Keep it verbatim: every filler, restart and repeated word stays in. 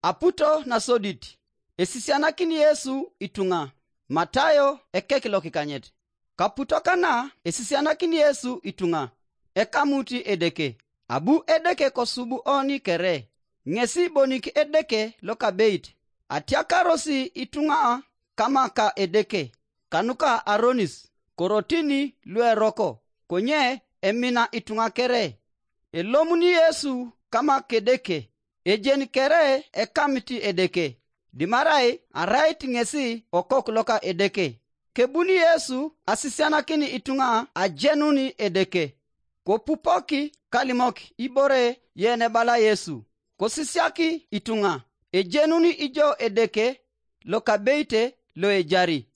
Aputo nasodit, esisianakin Yesu ituŋa. Matayo ekek lokikanyet. Kaputo kana esisianakin Yesu ituŋa, ekamut Edeke. Abu Edeke kosub oni kere, ŋesi bonik Edeke lokabeit. Atiakarosi ituŋa kama ka Edeke, kanuka aronis, korotini lueroko, konye emina ituŋa kere. Elomun Yesu kama Kedeke, ejen kere ekamit Edeke, dimarai arait ŋesi okok loka Edeke. Kebuni Yesu asisianakin ituŋa ajenun Edeke. Kopupoki kalimok ibore yenebala Yesu. Kosisiak ituŋa, ejenun ijo Edeke lokabeite loejari.